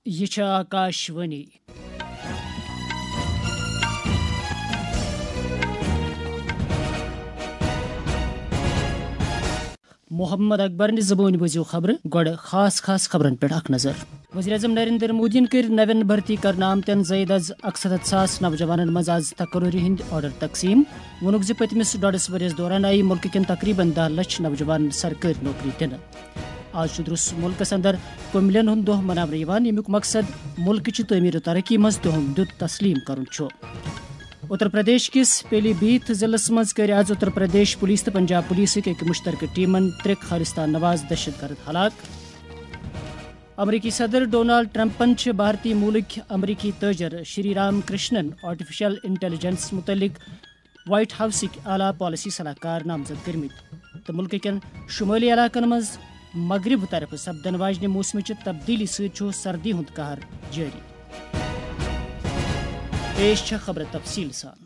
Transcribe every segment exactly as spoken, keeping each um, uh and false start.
یہِ چھِ آکاش وانی۔ محمد اکبرنہِ زبٲنۍ بوٗزِو خبرٕ، گۄڈٕ خاص خاص خبرن پٮ۪ٹھ اکھ نظر۔ وزیر اعظم نریندر مودیَن کٔرۍ نوٮ۪ن بھرتی کرنہٕ آمتٮ۪ن زٲیِد از اکستتھ ساس نوجوانن منٛز از تقرری ہٕنٛدۍ آرڈر تقسیٖم۔ ووٚنُکھ زِ پٔتمِس ڈۄڈس ؤرِیَس دوران آیہِ مُلکہٕ کٮ۪ن تقریباً دَہ لچھ نوجوانن سرکٲرۍ نوکری دِنہٕ۔ آز چھُ درس مُلکس اندر کُمبلٮ۪ن ہُنٛد دۄہ مناونہٕ یِوان، ییٚمیُک مقصد مُلکہٕ چہِ تعمیٖر و ترقی منٛز تِہُنٛد دیُت تسلیٖم کرُن چھُ۔ اتر پردیش کِس پیلی بھیت ضلعس منٛز کٔرۍ آز اتر پردیش پولیس تہٕ پنجاب پولیسٕکۍ أکۍ مُشترکہٕ ٹیمن ترٛےٚ خالصتان نواز دہشت گرد ہلاک۔ امریکی صدر ڈونالڈ ٹرمپن چھِ بھارتی مولٕکۍ امریکی تٲجر شری رام کرشنن آرٹیفیشل انٹیلیجنس متعلق وائٹ ہاؤسٕکۍ اعلیٰ پالیسی صلاح کار نامزد کٔرمٕتۍ تہٕ مُلکہٕ کٮ۪ن شُمٲلی علاقن منٛز مغرب طرفہٕ سپدن واجنہِ موسمٕچہِ تبدیلی سۭتۍ چھُ سردی ہُنٛد قہر جٲری۔ پیش چھےٚ خبرٕ تفصیٖل سان۔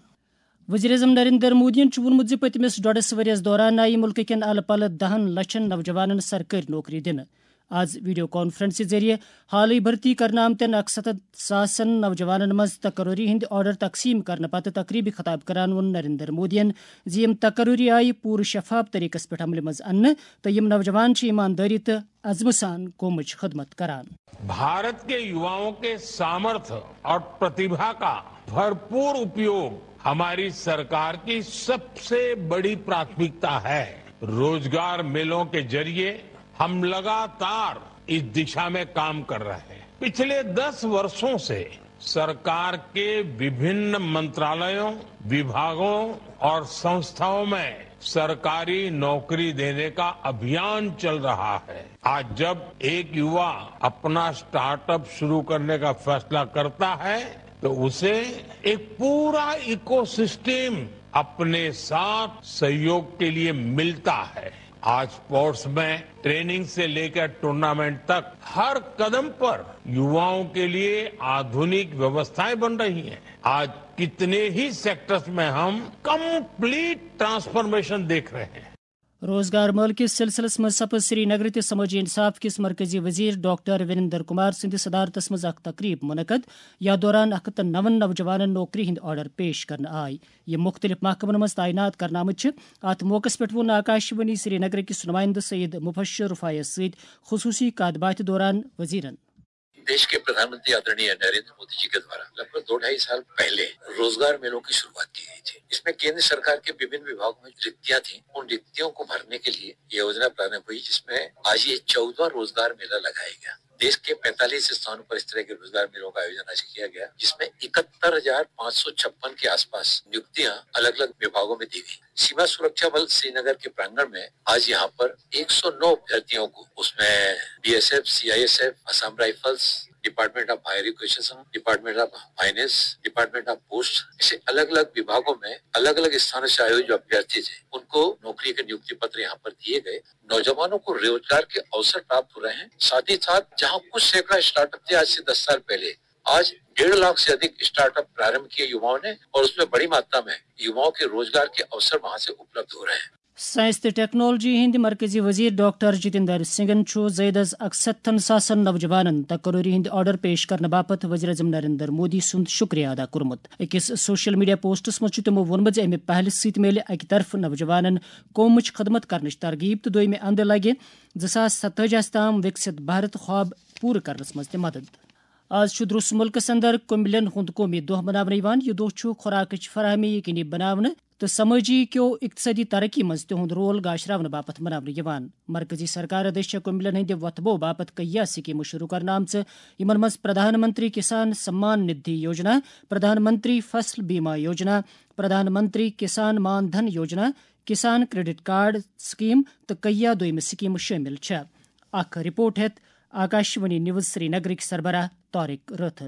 وزیر اعظم نریندر مودیَن چھُ ووٚنمُت زِ پٔتمِس ڈۄڈس ؤرِیَس دوران آیہِ مُلکہٕ کٮ۪ن الہٕ پلہٕ دَہن لچھن نوجوانن سرکٲرۍ نوکری دِنہٕ۔ آز ویڈیو کانفرنسہِ ذٔریعہٕ حالٕے بھرتی کرنہٕ آمتٮ۪ن اکستتھ ساسن نوجوانن منٛز تقرری ہٕنٛدۍ آرڈر تقسیٖم کرنہٕ پتہٕ تقریبہِ خطاب کران ووٚن نریندر مودیَن زِ یِم تقرری آیہِ پوٗرٕ شفاف طریقس پٮ۪ٹھ عملہِ منٛز اننہٕ تہٕ یِم نوجوان چھِ ایماندٲری تہٕ عزمہٕ سان قومٕچ خدمت کران۔ भारत के युवाओं के सामर्थ्य और प्रतिभा का भरपूर उपयोग हमारी सरकार की सबसे बड़ी प्राथमिकता है। रोजगार मेलों के जरिए हम लगातार इस दिशा में काम कर रहे हैं। पिछले दस वर्षों से सरकार के विभिन्न मंत्रालयों, विभागों और संस्थाओं में सरकारी नौकरी देने का अभियान चल रहा है। आज जब एक युवा अपना स्टार्टअप शुरू करने का फैसला करता है, तो उसे एक पूरा इकोसिस्टम अपने साथ सहयोग के लिए मिलता है। आज स्पोर्ट्स में ट्रेनिंग से लेकर टूर्नामेंट तक हर कदम पर युवाओं के लिए आधुनिक व्यवस्थाएं बन रही हैं। आज कितने ही सेक्टर्स में हम कंप्लीट ट्रांसफॉर्मेशन देख रहे हैं। روزگار میلہٕ کِس سلسلس منٛز سپُد سری نگر تہٕ سمٲجی انصاف کِس مرکزی وزیر ڈاکٹر وریندر کمار سٕنٛدِ صدارتس منٛز اکھ تقریب منعقد، یتھ دوران اکھ ہتھ تہٕ نَوَن نوجوانن نوکری ہٕنٛدۍ آرڈر پیش کرنہٕ آے، یِم مُختٔلِف محکمن منٛز تعینات کرنہٕ آمٕتۍ چھِ۔ اتھ موقعس پٮ۪ٹھ ووٚن آکاشوانی سری نگر کِس نمائندٕ سید مبشر رفایس سۭتۍ خصوصی کتھ باتھِ دوران وزیرن۔ देश के प्रधानमंत्री आदरणीय नरेंद्र मोदी जी के द्वारा लगभग दो ढाई साल पहले रोजगार मेलों की शुरुआत की गई थी। इसमें केंद्र सरकार के विभिन्न विभागों में रिक्तियां थीं, उन रिक्तियों को भरने के लिए ये योजना प्रारंभ हुई, जिसमें आज ये चौदहवाँ रोजगार मेला लगाया गया। देश के पैंतालीस स्थानों पर इस तरह के रोजगार मेलों का आयोजन आज किया गया, जिसमें इकहत्तर हजार पाँच सौ छप्पन के आसपास नियुक्तियां अलग-अलग विभागों में दी गई। सीमा सुरक्षा बल श्रीनगर के प्रांगण में आज यहाँ पर एक सौ नौ अभ्यर्थियों को, उसमें BSF, CISF, Assam Rifles, department of higher education, department of finance, department of post, ऐसे अलग अलग विभागों में अलग अलग स्थानों से आए हुए जो अभ्यर्थी थे, उनको नौकरी के नियुक्ति पत्र यहाँ पर दिए गए। नौजवानों को रोजगार के अवसर प्राप्त हो रहे हैं। साथ ही साथ जहाँ कुछ सैकड़ा स्टार्टअप थे आज से दस साल पहले, आज डेढ़ लाख से अधिक स्टार्टअप प्रारंभ किए युवाओं ने, और उसमें बड़ी मात्रा में युवाओं के रोजगार के अवसर वहां से उपलब्ध हो रहे हैं। سائنس تہٕ ٹیکنالوجی ہٕنٛدۍ مرکزی وزیر ڈاکٹر جتیندر سنگھن چھُ زٲیدس اکستتھن ساسن نوجوانن تقرری ہٕنٛدۍ آرڈر پیش کرنہٕ باپتھ وزیر اعظم نریندر مودی سُنٛد شُکریہ ادا کوٚرمُت۔ أکِس سوشل میڈیا پوسٹس منٛز چھُ تِمو ووٚنمُت زِ اَمہِ پہلہِ سۭتۍ میلہِ اَکہِ طرفہٕ نوجوانن قومٕچ خدمت کرنٕچ ترغیب تہٕ دوٚیمہِ اندٕ لگہِ زٕ ساس ستٲجی ہَس تام وِکسِت بھارت خواب پوٗرٕ کرنس منٛز تہِ مدد۔ آز چھُ درٛوس مُلکَس اندر کُمبلٮ۪ن ہُنٛد قومی دۄہ مناونہٕ یِوان۔ یہِ دۄہ چھُ خوراکٕچ فراہمی یقینی بناونہٕ تہٕ سمٲجی کیو اقتصٲدی ترقی منٛز تِہُنٛد رول گاشراونہٕ باپتھ مناونہٕ یِوان۔ مرکزی سرکار دٔسۍ چھےٚ کُمبلٮ۪ن ہٕنٛدِ وۄتھٕ بو باپتھ کیٚنٛہہ سکیمہٕ شروٗع کرنہٕ آمژٕ، یِمن منٛز پردھان منتری کسان سمان ندھی یوجنا، پردھان منتری فصل بیمہ یوجنا، پردھان منتری کسان مان دھن یوجنا، کسان کریڈٹ کارڈ سکیم تہٕ کیٚنٛہہ دوٚیمہٕ سکیمہٕ شٲمِل چھےٚ۔ اکھ رپورٹ ہیٚتھ آکاشوانی نیوز سرینگرٕکۍ سربراہ طارق رٲتھر۔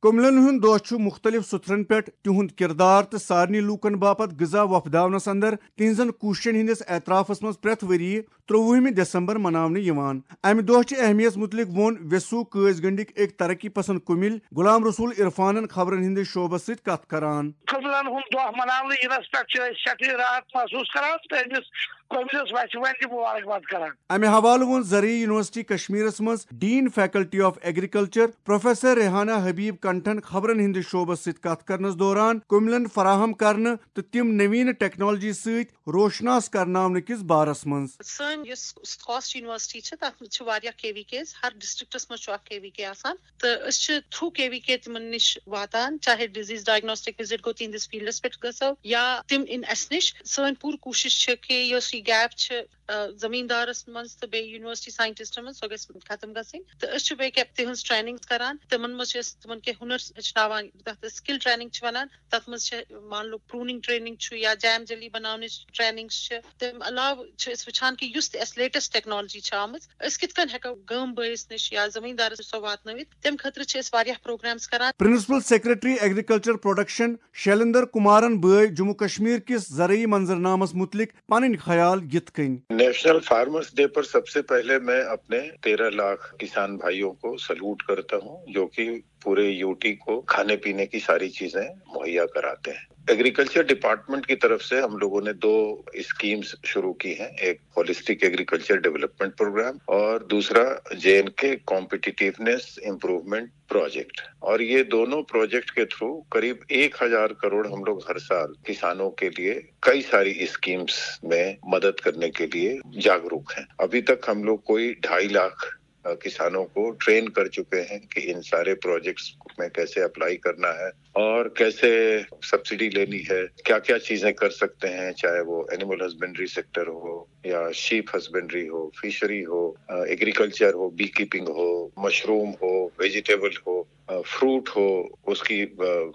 کُملن ہُنٛد دۄہ چھُ مُختٔلِف سُتھرن پٮ۪ٹھ تِہُنٛد کِردار تہٕ سارنٕے لوٗکن باپتھ غذا وۄپداونس اندر تِہنٛزن کوٗششن ہٕنٛدِس اعترافس منٛز پرٛٮ۪تھ ؤرۍ یہِ ترٛۆوُہمہِ دسمبر مناونہٕ یِوان۔ امہِ دۄہ چہِ اہمیت مُتعلق ووٚن ویسو قٲضۍ گنڈٕکۍ أکۍ ترقی پسند کُمِل غلام رسول عرفانن خبرن ہٕنٛدِس شعبس سۭتۍ کتھ کران۔ قُملن ہُنٛد دۄہ مناونہٕ یِنس پٮ۪ٹھ چھِ أسۍ سٮ۪ٹھٕے راحت محسوٗس کران تہٕ أمِس قُملِس وسہِ وۄنۍ تہِ مُبارکباد کران۔ امہِ حوالہٕ ووٚن زرعی یونیورسٹی کشمیرس منٛز dean faculty of agriculture professor Rehana Habib کنٹھن خبرن ہٕنٛدِس شعبس سۭتۍ کتھ کرنس دوران کُملن فراہم کرنہٕ تہٕ تِم نوینہٕ ٹیکنالوجی سۭتۍ روشناس کرناونہٕ کِس بارس منٛز۔ سٲنۍ یۄس خاص یونیورسٹی چھِ، تَتھ منٛز چھِ واریاہ کے وی کیز، ہر ڈسٹرکٹس منٛز چھُ اکھ کے وی کے آسان، تہٕ أسۍ چھِ تھرو کے وی کے تِمن نِش واتان، چاہے ڈزیز ڈائگنوسٹک وزٹ گوٚو تِہنٛدِس فیلڈس پٮ۪ٹھ گژھو یا تِم یِن اَسہِ نِش۔ سٲنۍ پوٗرٕ کوٗشش چھِ کہِ یۄس یہِ گیپ چھِ، آ، زمیٖندارس منٛز تہٕ بیٚیہِ یونیورسٹی ساینٹسٹن منٛز، سۄ گژھِ ختم گژھٕنۍ۔ تہٕ أسۍ چھِ بیٚیہِ کیٛاہ تِہنٛز ٹریننگ کران، تِمن منٛز چھِ أسۍ تِمن کینٛہہ ہُنر ہیٚچھناوان، تَتھ سکل ٹریننگ چھِ ونان۔ تَتھ منٛز چھِ، مان لو، پروننگ ٹریننگ چھُ یا جیم جیلی بناونٕچ ٹریننگ چھِ۔ تَمہِ علاوٕ چھِ أسۍ وٕچھان کہِ یُس تہِ اَسہِ لیٹسٹ ٹیکنالوجی چھِ آمٕژ، أسۍ کِتھ کٔنۍ ہٮ۪کو گٲم بٲیِس نِش یا زٔمیٖندارَس نِش سۄ واتنٲوِتھ۔ تَمہِ خٲطرٕ چھِ أسۍ واریاہ پروگرامز کران۔ Principal secretary agriculture production Shailendra کمارن بٲوۍ جموں کشمیر کِس زرعی منظرنامس متعلق پنٕنۍ خیال یِتھ کٔنۍ۔ نیشنل فارمرس ڈے پر سب سے پہلے میں اپنے تیرہ لاکھ کسان بھائیوں کو سلوٹ کرتا ہوں، جو کہ پورے یوٹی کو کھانے پینے کی ساری چیزیں مہیا کراتے ہیں۔ ایگریکلچر ڈپارٹمنٹ کی طرف سے ہم لوگوں نے دو اسکیمز شروع کی ہیں، ایک ہولسٹک ایگریکلچر ڈیولپمنٹ پروگرام اور دوسرا جے این کے کمپیٹیٹیونیس امپروومنٹ پروجیکٹ، اور یہ دونوں پروجیکٹ کے تھرو قریب ایک ہزار کروڑ ہم لوگ ہر سال کسانوں کے لیے کئی ساری اسکیمز میں مدد کرنے کے لیے جاگروک ہیں۔ ابھی تک ہم لوگ کوئی ڈھائی لاکھ کسانوں کو ٹرین کر چکے ہیں کہ ان سارے پروجیکٹس میں کیسے اپلائی کرنا ہے اور کیسے سبسڈی لینی ہے، کیا کیا چیزیں کر سکتے ہیں، چاہے وہ اینیمل ہسبینڈری سیکٹر ہو یا شیپ ہسبینڈری ہو، فشری ہو، ایگریکلچر ہو، بی کیپنگ ہو، مشروم ہو، ویجیٹیبل ہو، فروٹ ہو، اس کی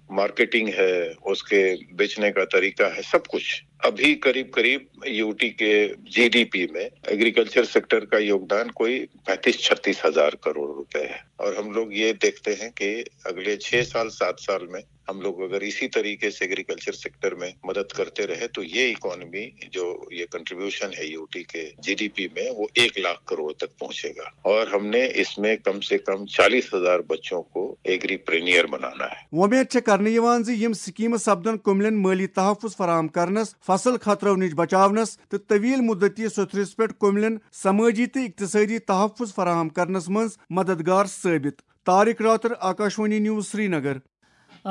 مارکیٹنگ ہے، اس کے بیچنے کا طریقہ ہے، سب کچھ۔ ابھی قریب قریب یوٹی کے جی ڈی پی میں ایگریکلچر سیکٹر کا یوگدان کوئی پینتیس چھتیس ہزار کروڑ روپے ہے، اور ہم لوگ یہ دیکھتے ہیں کہ اگلے چھ سال سات سال میں ہم لوگ اگر اسی طریقے سے ایگریکلچر سیکٹر میں مدد کرتے رہے تو یہ اکانومی جو یہ کنٹریبیوشن ہے یوٹی کے جی ڈی پی میں، وہ ایک لاکھ کروڑ تک پہنچے گا، اور ہم نے اس میں کم سے کم چالیس ہزار بچوں کو ایگری پرینیئر بنانا ہے۔ وۄمید چھےٚ کرنہٕ یِوان زِ یِم سکیمہٕ سپدن کُملٮ۪ن مٲلی تحفظ فراہم کرنس، فصل خطرو نِش بچاونس تہٕ طویل مدتی سوٚتھرِس پٮ۪ٹھ کُملٮ۪ن سمٲجی تہٕ اقتصٲدی تحفظ فراہم کرنس منٛز مددگار ثٲبت۔ طارق راتر، آکاشوانی نیوز، سرینگر۔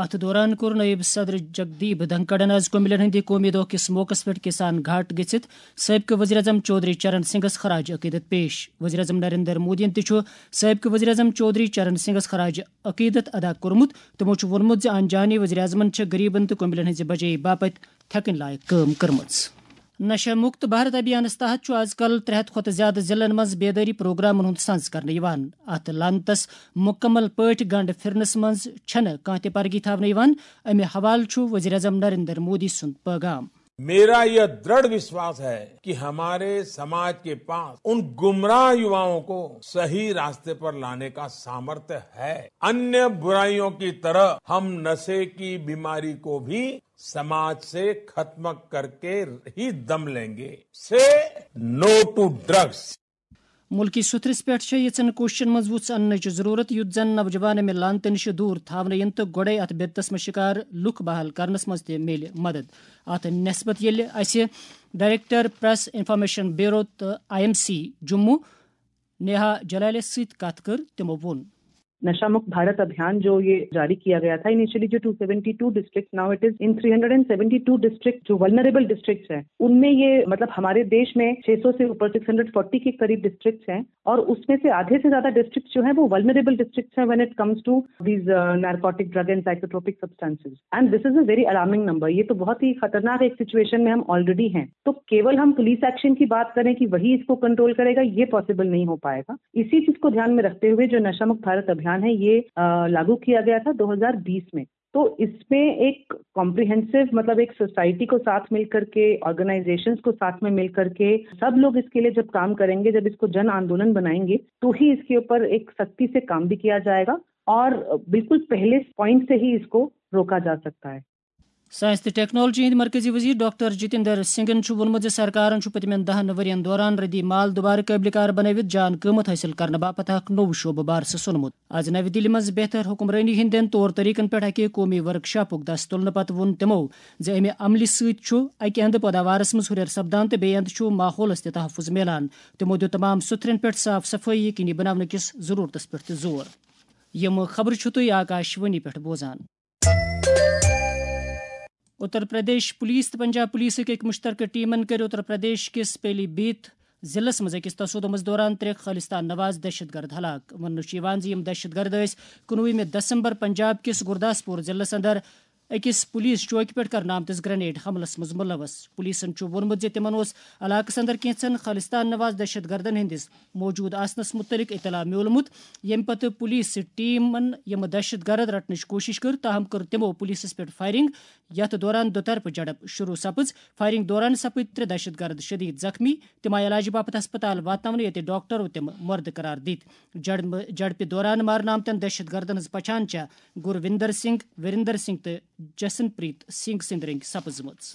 اتھ دوران کوٚر نٲیِب صدر جگدیپ دھنکڑن آز کُمبلٮ۪ن ہٕنٛدِ قومی دۄہ کِس موقعس پٮ۪ٹھ کسان گھاٹ گٔژھِتھ سٲبقہٕ وزیر اعظم چودھری چرن سنگھس خراج عقیدت پیش۔ وزیر اعظم نریندر مودیَن تہِ چھُ سٲبقہٕ وزیر اعظم چودھری چرن سنگھس خراج عقیدت ادا کوٚرمُت۔ تِمَو چھُ ووٚنمُت زِ آن جہانی وزیر اعظمَن چھےٚ غریبن تہٕ کُمبلٮ۪ن ہٕنٛزِ بجٲیی باپتھ تھٮ۪کٕنۍ لایق کٲم کٔرمٕژ۔ نشہ مکت بھارت ابھیانس تحت چھُ از کل ترٛےٚ ہتھ کھۄتہٕ زیادٕ ضلعن منٛز بیدٲری پروگرامن ہُنٛد سنز کرنہٕ یِوان۔ اتھ لنتس مکمل پٲٹھۍ گنڈ پھرنس منٛز چھنہٕ کانٛہہ تہِ پرگی تھاونہٕ یِوان۔ امہِ حوالہٕ چھُ وزیر اعظم نریندر مودی سُنٛد پیغام۔ میرا یہ دڑھ وشواس ہے کہ ہمارے سماج کے پاس ان گمراہ یواؤں کو صحیح راستے پر لانے کا سامرتھ ہے۔ انیہ برائیوں کی طرح ہم نشے کی بیماری کو بھی سماج سے ختم کر کے ہی دم لیں گے۔ سے نو ٹو ڈرگس۔ مُلکی سُتھرِس پٮ۪ٹھ چھےٚ یِژھن کوٗششن منٛز وُژھ اننٕچ ضروٗرت، یُتھ زن نوجوان امہِ لعنتہٕ نِش دوٗر تھاونہٕ یِن تہٕ گۄڈے اتھ بدعتس منٛز شِکار لُکھ بحال کرنس منٛز تہِ میلہِ مدد۔ اتھ نسبت ییٚلہِ اسہِ director press information bureau I M C Jammu Neha نیہا جلالس سۭتۍ کتھ کٔر، تِمو ووٚن۔ نشہ مکت بھارت ابھیان جو یہ جاری کیا گیا تھا، انیشلی جو ٹو سیونٹی ٹو ڈسٹرکٹ، ناؤ it is in three hundred and seventy two district جو ولنریبل ڈسٹرکٹس ہیں، ان میں یہ مطلب ہمارے دیش میں چھ سو سے اوپر، سکس ہنڈریڈ فورٹی کے قریب ڈسٹرکٹس ہیں، اور اس میں سے آدھے سے زیادہ ڈسٹرکٹ جو ہیں وہ ولنریبل ڈسٹرکٹس ہیں when it comes to these narcotic drug and psychotropic substances and this is a very alarming number. یہ تو بہت ہی خطرناک ایک سچویشن میں ہم آلریڈی ہیں۔ تو کیول ہم پولیس ایکشن کی بات کریں کہ وہی اس کو کنٹرول کرے گا، یہ پاسبل نہیں ہو پائے گا۔ اسی چیز کو دھیان میں رکھتے ہوئے جو نشہ مکت بھارت ابھیان ہے، یہ لاگو کیا گیا تھا دو ہزار بیس میں۔ تو اس میں ایک کمپریہنسو، مطلب ایک سوسائٹی کو ساتھ مل کر کے، آرگنائزیشنز کو ساتھ میں مل کر کے، سب لوگ اس کے لیے جب کام کریں گے، جب اس کو جن آندولن بنائیں گے، تو ہی اس کے اوپر ایک سختی سے کام بھی کیا جائے گا اور بالکل پہلے پوائنٹ سے ہی اس کو روکا جا سکتا ہے۔ ساینس تہٕ ٹیکنالوجی ہٕنٛدۍ مرکزی وزیر ڈاکٹر جتیندر سنگھن چھُ ووٚنمُت زِ سرکارن چھُ پٔتمٮ۪ن دَہن ؤرین دوران ردی مال دُبارٕ قٲبلِ کار بنٲوِتھ جان قۭمتھ حٲصِل کرنہٕ باپتھ اکھ نوٚو شعبہٕ بارسہٕ سونمُت۔ از نَوِ دِلہِ منٛز بہتر حکمرٲنی ہٕنٛدٮ۪ن طور طریقن پٮ۪ٹھ اکہِ قومی ورکشاپُک دست تُلنہٕ پتہٕ ووٚن تِمو زِ امہِ عملہِ سۭتۍ چھُ اکہِ اندٕ پٲداوارس منٛز ہُرٮ۪ر سپدان تہٕ بیٚیہِ اندٕ چھُ ماحولس تہِ تحفظ میلان۔ تِمو دیُت تمام سُتھرٮ۪ن پٮ۪ٹھ صاف صفٲیی یقینی بناونہٕ کِس ضرورتس پٮ۪ٹھ تہِ زور۔ یِم خبرٕ چھِو تُہۍ آکاشوانی پٮ۪ٹھ بوزان۔ اتر پردیش پولیس تہٕ پنجاب پولیسٕکۍ أکۍ مشترکہٕ ٹیمن کٔرۍ اتر پردیش کِس پیلی بھیت ضلعس منٛز أکِس تصادمس دوران ترٛےٚ خالصتان نواز دہشت گرد ہلاک۔ وننہٕ چھُ یِوان زِ یِم دہشت گرد ٲسۍ کُنوُہمہِ دسمبر پنجاب کِس گرداسپور ضلعس اندر أکِس پولیس چوکہِ پٮ۪ٹھ کرنہٕ آمتِس گرنیڈ حملس منٛز ملوث۔ پولیسن چھُ ووٚنمُت زِ تِمن اوس علاقس اندر کینٛژن خالصتان نواز دہشت گردن ہٕنٛدِس موجود آسنس متعلق اطلاع میولمُت، ییٚمہِ پتہٕ پولیس ٹیمن یِم دہشت گرد رٹنٕچ کوٗشش کٔر، تاہم کٔر تِمو پولیسس پٮ۪ٹھ فائرنگ، یتھ دوران دُطرفہٕ جھڑپ شروع سپٕز۔ فائرنگ دوران سپٕدۍ ترٛےٚ دہشت گرد شدید زخمی۔ تِم آیہِ علاجہٕ باپتھ ہسپتال واتناونہٕ، ییٚتہِ ڈاکٹرو تِم مردٕ قرار دِتۍ۔ جھڑ-، جھڑپہِ دوران مارنہٕ آمتٮ۪ن دہشت گردن ہٕنٛز پہچان چھےٚ گرویندر سنگھ، وریندر سنگھ تہٕ جسن پریت سنگھ سٕنٛدۍ رٔنگۍ سپٕزمٕژ۔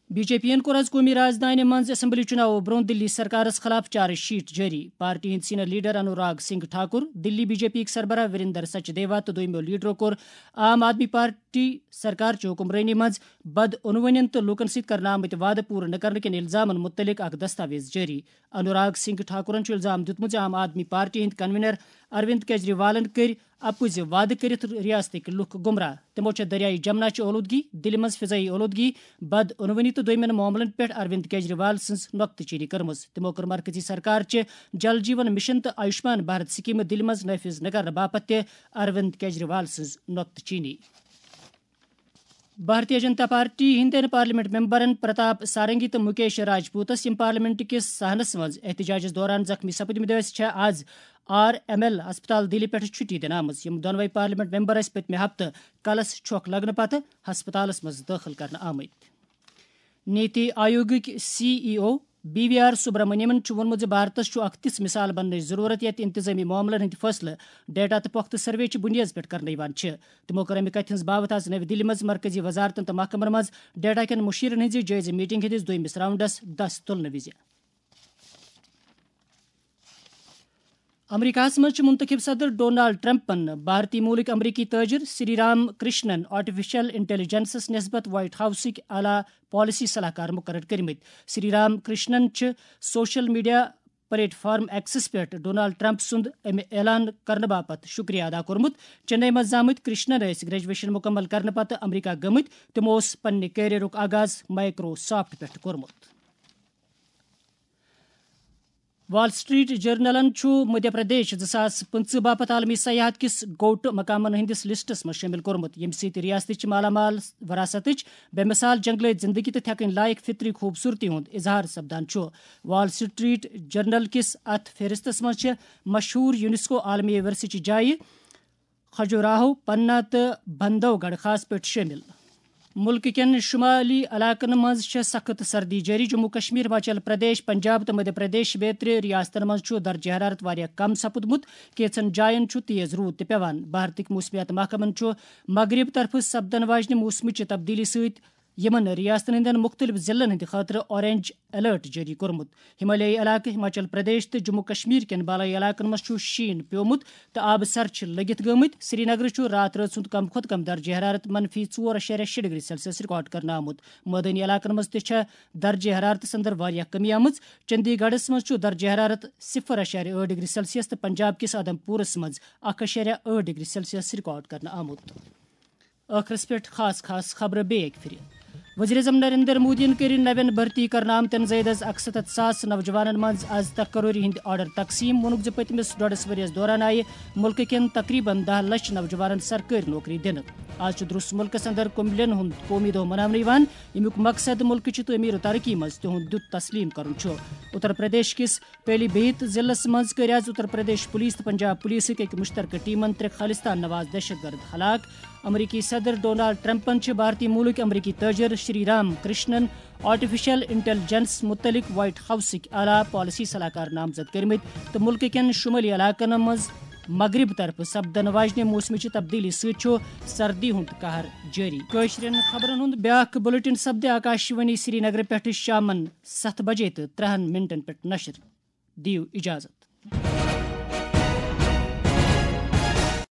بی جے پی یَن کوٚر آز قومی راجدھانی منٛز اسمبلی چُناوو برٛونٛہہ دِلی سرکارَس خلاف چارج شیٹ جٲری۔ پارٹی ہٕنٛدۍ سینئر لیڈر انوراگ سنگھ ٹھاکر، دِلی بی جے پی یٕکۍ سربراہ وریندر سچدیوا تہٕ دوٚیمٮ۪و لیڈرو کوٚر عام آدمی پارٹی سرکار چہِ حکمرٲنی منٛز بدعنوٲنین تہٕ لوٗکَن سۭتۍ کرنہٕ آمٕتۍ وعدٕ پوٗرٕ نہٕ کرنہٕ کٮ۪ن الزامَن مُتعلِق اکھ دستاویز جٲری۔ انوراگ سنگھ ٹھاکرَن چھُ الزام دیُتمُت زِ عام آدمی پارٹی ہٕنٛدۍ کنوینر اروند کیجریوالَن کٔرۍ اپُزِ وعدٕ کٔرِتھ ریاستٕکۍ لُکھ گمراہ۔ تِمو چھےٚ دریائے جمنا چہِ اولودگی، دِلہِ منٛز فضائی اولودگی، بدعنوٲنی تہٕ دوٚیمٮ۪ن معاملن پٮ۪ٹھ اروند کیجریوال سٕنٛز نۄقطہٕ چینی کٔرمٕژ۔ تِمو کٔر مرکزی سرکار چہِ جل جیون مشن تہٕ آیوشمان بھارت سکیمہٕ دِلہِ منٛز نافذ نہٕ کرنہٕ باپتھ تہِ اروند کیجریوال سٕنٛز نۄقطہٕ چینی۔ بھارتیہ جنتا پارٹی ہٕنٛدٮ۪ن پارلیمنٹ ممبرن پرتاپ سارنگی تہٕ مکیش راجپوتس، یِم پارلیمنٹ کِس صحنس منٛز احتجاجس دوران زخمی سپٕدمٕتۍ ٲسۍ، چھےٚ آز آر ایم ایل ہسپتال دِلہِ پٮ۪ٹھ چھُٹی دِنہٕ آمٕژ۔ یِم دۄنوَے پارلیمنٹ ممبر ٲسۍ پٔتمہِ ہفتہٕ کلس چھۄکھ لگنہٕ پتہٕ ہسپتالس منٛز دٲخل کرنہٕ آمٕتۍ۔ نیتی آیوگٕکۍ C E O B V R سبرامنیمن چھُ ووٚنمُت زِ بھارتس چھُ اکھ تِژھ مثال بننٕچ ضروٗرت، ییٚتہِ انتظٲمی معاملن ہٕنٛدۍ فٲصلہٕ ڈیٹا تہٕ پۄختہٕ سروے چہِ بُنیٲدس پٮ۪ٹھ کرنہٕ یِوان چھِ۔ تِمو کٔر اَمہِ کَتھِ ہٕنٛز باوتھ آز نَوِ دِلہِ منٛز مرکزی وزارتن تہٕ محکمن منٛز ڈیٹا کٮ۪ن مُشیرن ہٕنٛزِ جٲیزٕ میٹنگ ہٕنٛدِس دوٚیمِس راؤنڈس دَس تُلنہٕ وِزِ۔ امریکاہس منٛز چھِ منتخب صدر ڈونالڈ ٹرمپن بھارتی ملک امریکی تاجر سری رام کرشنن آرٹیفیشل انٹیلیجنسس نسبت وائٹ ہاؤسٕکۍ اعلیٰ پالیسی صلاح کار مقرر کٔرمٕتۍ۔ سری رام کرشنن چھِ سوشل میڈیا پلیٹ فارم ایکسس پٮ۪ٹھ ڈونالڈ ٹرمپ سُنٛد امہِ اعلان کرنہٕ باپتھ شکریہ ادا کوٚرمُت۔ چنئی منٛز زامٕتۍ کرشنن ٲسۍ گریجویشن مکمل کرنہٕ پتہٕ امریکہ گٔمٕتۍ۔ تِمو اوس پننہِ کیریئرُک آغاز مائیکروسافٹ پٮ۪ٹھ کوٚرمُت۔ وال سٹریٹ جرنلن چھُ مدھیہ پردیش زٕ ساس پٕنٛژٕہ باپتھ عالمی سیاحت کِس گوٹ مقامن ہٕنٛدِس لسٹس منٛز شٲمِل کوٚرمُت، ییٚمہِ سۭتۍ ریاستٕچ مالا مال وراثتٕچ بے مثال جنگلٲوۍ زندگی تہٕ تھٮ۪کٕنۍ لایق فطری خوٗبصوٗرتی ہُنٛد اظہار سپدان چھُ۔ وال سٹریٹ جرنل کِس اتھ فہرستس منٛز چھِ مشہوٗر یونیسکو عالمی ورثہٕ چہِ جایہِ کھجوراہو، پننا تہٕ بندھو گڑھ خاص پٲٹھۍ شٲمِل۔ مُلکہٕ کٮ۪ن شُمٲلی علاقن منٛز چھےٚ سخت سردی جٲری۔ جموں کشمیر، ہماچل پردیش، پنجاب تہٕ مدھیہ پردیش بیترِ ریاستن منٛز چھُ درجہ حرارت واریاہ کم سپُدمُت۔ کینٛژن جاین چھُ تیز روٗد تہِ پٮ۪وان۔ بھارتٕکۍ موسمیات محکمن چھُ مغرب طرفہٕ سپدن واجنہِ موسمٕچہِ تبدیلی سۭتۍ یِمن ریاستن ہٕنٛدٮ۪ن مُختٔلِف ضلعن ہٕنٛدِ خٲطرٕ اورنج الرٹ جٲری کوٚرمُت۔ ہمالیائی علاقہٕ، ہماچل پردیش تہٕ جموں کشمیر کٮ۪ن بالٲیی علاقن منٛز چھُ شیٖن پیومُت تہٕ آبہٕ سر چھِ لٔگِتھ گٔمٕتۍ۔ سری نگرٕ چھُ راتھ رٲژ ہُنٛد کم کھۄتہٕ کم درجہ حرارت منفی ژور اَشاریہ شےٚ ڈگری سیلسیس ریکارڈ کرنہٕ آمُت۔ مٲدٲنی علاقن منٛز تہِ چھےٚ درجہ حرارتس اندر واریاہ کمی آمٕژ۔ چندی گڑھس منٛز چھُ درجہ حرارت صفر اَشاریہ ٲٹھ ڈگری سیلسیس تہٕ پنجاب کِس آدم پورس منٛز اکھ اَشاریہ ٲٹھ ڈگری سیلسیس ریکارڈ کرنہٕ آمُت۔ ٲخرس پٮ۪ٹھ خاص خاص خبرٕ بیٚیہِ اکہِ پھِرِ۔ وزیر اعظم نریندر مودیَن کٔرۍ نوٮ۪ن بھرتی کرنہٕ آمتٮ۪ن زٲیدٕ از اکسَتتھ ساس نوجوانن منٛز از تقرری ہٕنٛدۍ آرڈر تقسیٖم۔ ووٚنُکھ زِ پٔتمِس ڈۄڈس ؤرۍ یَس دوران آیہِ مُلکہٕ کٮ۪ن تقریباً دَہ لچھ نوجوانن سرکٲرۍ نوکری دِنہٕ۔ از چھُ درُس مُلکس اندر کُمبلن ہُنٛد قومی دۄہ مناونہٕ یِوان، ییٚمیُک مقصد مُلکہٕ چہِ تعمیٖر و ترقی منٛز تِہُنٛد دیُت تسلیٖم کرُن چھُ۔ اتر پردیش کِس پیلی بھیت ضلعس منٛز کٔرۍ از اتر پردیش پولیس تہٕ پنجاب پولیسٕکۍ أکۍ مشترکہٕ ٹیمن ترٛےٚ خالصتان نواز دہشت گرد ہلاک۔ امریکی صدر ڈونالڈ ٹرمپن چھِ بھارتی ملک امریکی تاجر شری رام کرشنن آرٹیفیشل انٹیلیجنس متعلق وائٹ ہاؤسٕکۍ اعلیٰ پالیسی صلاح کار نامزد کٔرمٕتۍ تہٕ ملکہٕ کٮ۪ن شمٲلی علاقن منٛز مغرب طرفہٕ سپدن واجنہِ موسمٕچہِ تبدیلی سۭتۍ چھُ سردی ہُنٛد قہر جٲری۔ کٲشرٮ۪ن خبرن ہُنٛد بیٛاکھ بلیٹن سپدِ آکاشوانی سرینگرٕ پٮ۪ٹھٕ شامن ستھ بجے تہٕ ترٛہن منٹن پٮ۪ٹھ نشر۔ دِیِو اجازت۔